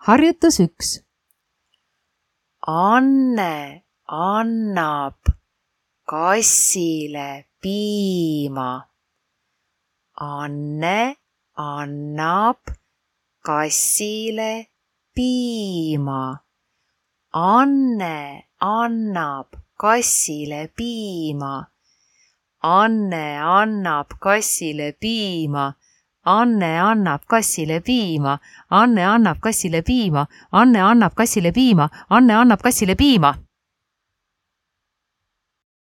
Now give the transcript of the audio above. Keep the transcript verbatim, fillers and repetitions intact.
Harjutus üks. Anne annab kassile piima. Anne annab kassile piima. Anne annab kassile piima. Anne annab kassile piima. Anne annab kassile piima. Anne annab kassile piima. Anne annab kassile piima. Anne annab kassile piima.